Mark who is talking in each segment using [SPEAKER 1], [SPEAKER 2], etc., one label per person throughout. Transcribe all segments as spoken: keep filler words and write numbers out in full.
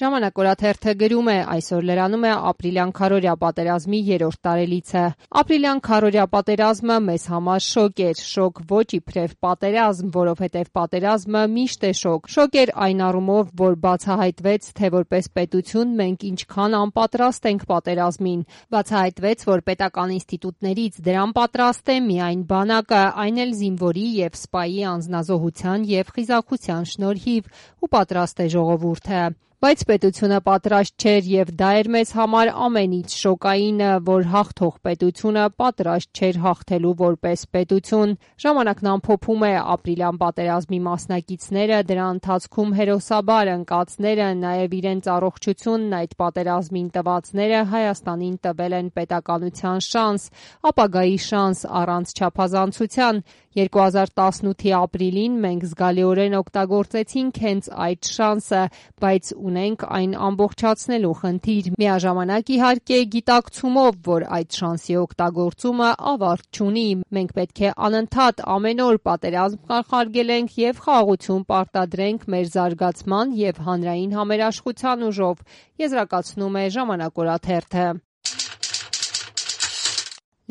[SPEAKER 1] Ժամանակ օրաթերթը գրում է, այսօր լրանում է ապրիլյան քարորյա պատերազմի երրորդ տարելիցը։ Ապրիլյան քարորյա պատերազմը մեզ համար շոկ էր, շոկ ոչ իբրև պատերազմ, որովհետև պատերազմը միշտ է շոկ։ Շոկ էր այն առումով, որ բացահայտվեց, թե որպես պետություն մենք ինչքան անպատրաստ ենք պատերազմին։ Բացահայտվեց, որ պետական ինստիտուտներից դրան պատրաստ է միայն բանակը, այն էլ զինվորի և սպայի անձնազոհության և խիզախության շնորհիվ, ու պատրաստ է ժողովուրդը։ Բայց պետությունը պատրաստ չէր և դա էր մեզ համար ամենից շոկայինը, որ հաղթող պետությունը պատրաստ չէր հաղթելու որպես պետություն։ Ժամանակն ամփոփում է ապրիլյան պատերազմի մասնակիցները, դրա ընթացքում հերոսաբար ընկածները, նաև իրենց առողջությունն այդ պատերազմին տվածները Հայաստանին տվել են պետականության շանս, ապագայի շանս առանց չափազանցության։ երկու հազար տասնութի ապրիլին մենք զգալիորեն օգտագործեցինք հենց այդ շանսը, բայց ունենք այն ամբողջացնելու խնդիր։ Միաժամանակ իհարկե գիտակցումով, որ այդ շանսի օգտագործումը ավարտ չունի։ Մենք պետք է անընդհատ ամեն օր պատերազմ կանխարգելենք և խաղաղություն պարտադրենք մեր զարգացման և հանրային համերաշխության ուժով, եզրակացնում է Ժամանակ օրաթերթը։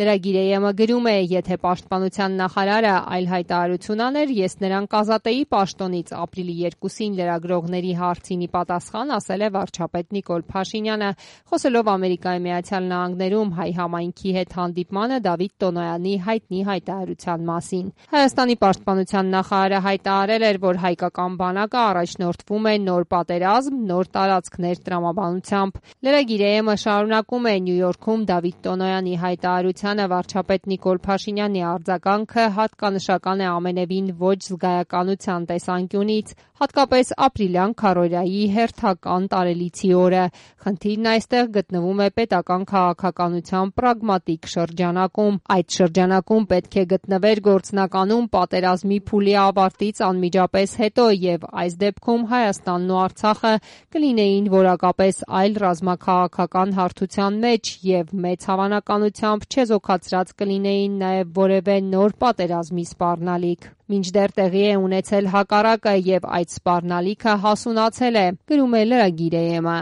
[SPEAKER 1] Լրագիր.am-ը գրում է, եթե պաշտպանության նախարարը այլ հայտարարություն աներ, ես նրան կազատեի պաշտոնից։ Ապրիլի երկուսին լրագրողների հարցին ի պատասխան ասել է վարչապետ Նիկոլ Փաշինյանը, խոսելով Ամերիկայի Միացյալ Նահանգներում հայ համայնքի հետ հանդիպմանը Դավիթ Տոնոյանի հայտնի հայտարարության մասին։ Հայաստանի պաշտպանության նախարարը հայտարարել էր, որ հայկական բանակը առաջնորդվում է նոր պատերազմ, նոր տարածքներ տրամաբանությամբ։ Լրագիր.am-ը շարունակում է, Նյու Յորքում Դավիթ Տոնոյանի հայտարարության վարչապետ Նիկոլ Փաշինյանի արձագանքը հատկանշական է ամենևին ոչ զգայականության տեսանկյունից, հատկապես ապրիլյան քարորյայի հերթական տարելիցի օրը։ Խնդիրն այստեղ գտնվում է պետական քաղաքականության պրագմատիկ շրջանակում։ Այդ շրջանակում պետք է գտնվեր գործնականում պատերազմի փուլի ավարտից անմիջապես հետո, և այս դեպքում Հայաստանն ու Արցախը կլինեին որակապես այլ ռազմաքաղաքական հարթության մեջ և մեծ հավանականությամբ չեզոքացրած կլինեին նաև որևէ նոր պատերազմի սպառնալիք։ Մինչդեռ տեղի է ունեցել հակառակը և այդ սպառնալիքը հասունացել է, գրում է Լրագիր.am-ը։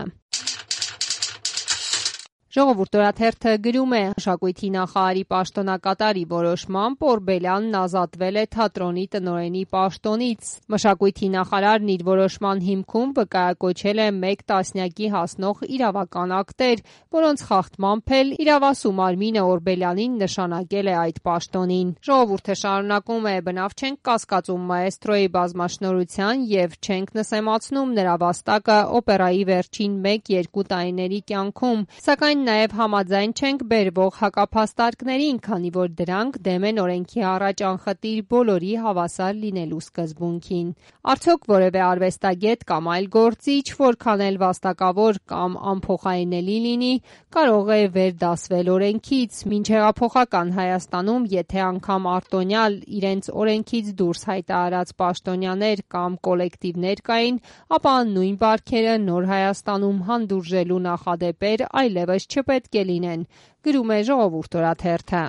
[SPEAKER 1] Ժողովուրդ օրաթերթը գրում է, մշակույթի նախարարի պաշտոնակատարի որոշմամբ Օրբելյանն ազատվել է թատրոնի տնօրենի պաշտոնից։ Մշակույթի նախարարն իր որոշման հիմքում վկայակոչել է մեկ տասնյակի հասնող իրավական ակտեր, որոնց խախտմամբ էլ իրավասու մարմինը Օրբելյանին նշանակել է այդ պաշտոնին։ Ժողովուրդը շարունակում է, բնավ չենք կասկածում մաեստրոյի բազմաշնորհության և չենք նսեմացնում նրա վաստակը օպերայի վերջին մեկ-երկու տարիների կյանքում, սակայն նաև համաձայն չենք բերվող հակափաստարկներին, քանի որ դրանք դեմ են օրենքի առաջ անխտիր բոլորի հավասար լինելու սկզբունքին։ Արդյոք որևէ արվեստագետ կամ այլ գործիչ, որքան էլ վաստակավոր կամ անփոխարինելի լինի, կարող է վերդասվել օրենքից։ Մինչհեղափոխական Հայաստանում, եթե անգամ արտոնյալ իրենց օրենքից դուրս հայտարարած պաշտոնյաներ կամ կոլեկտիվներ կային, ապա նույն բարքերը նոր Հայաստանում հանդուրժելու նախադեպեր այլևս չպետք է լինեն, գրում է Ժողովուրդ օրաթերթը։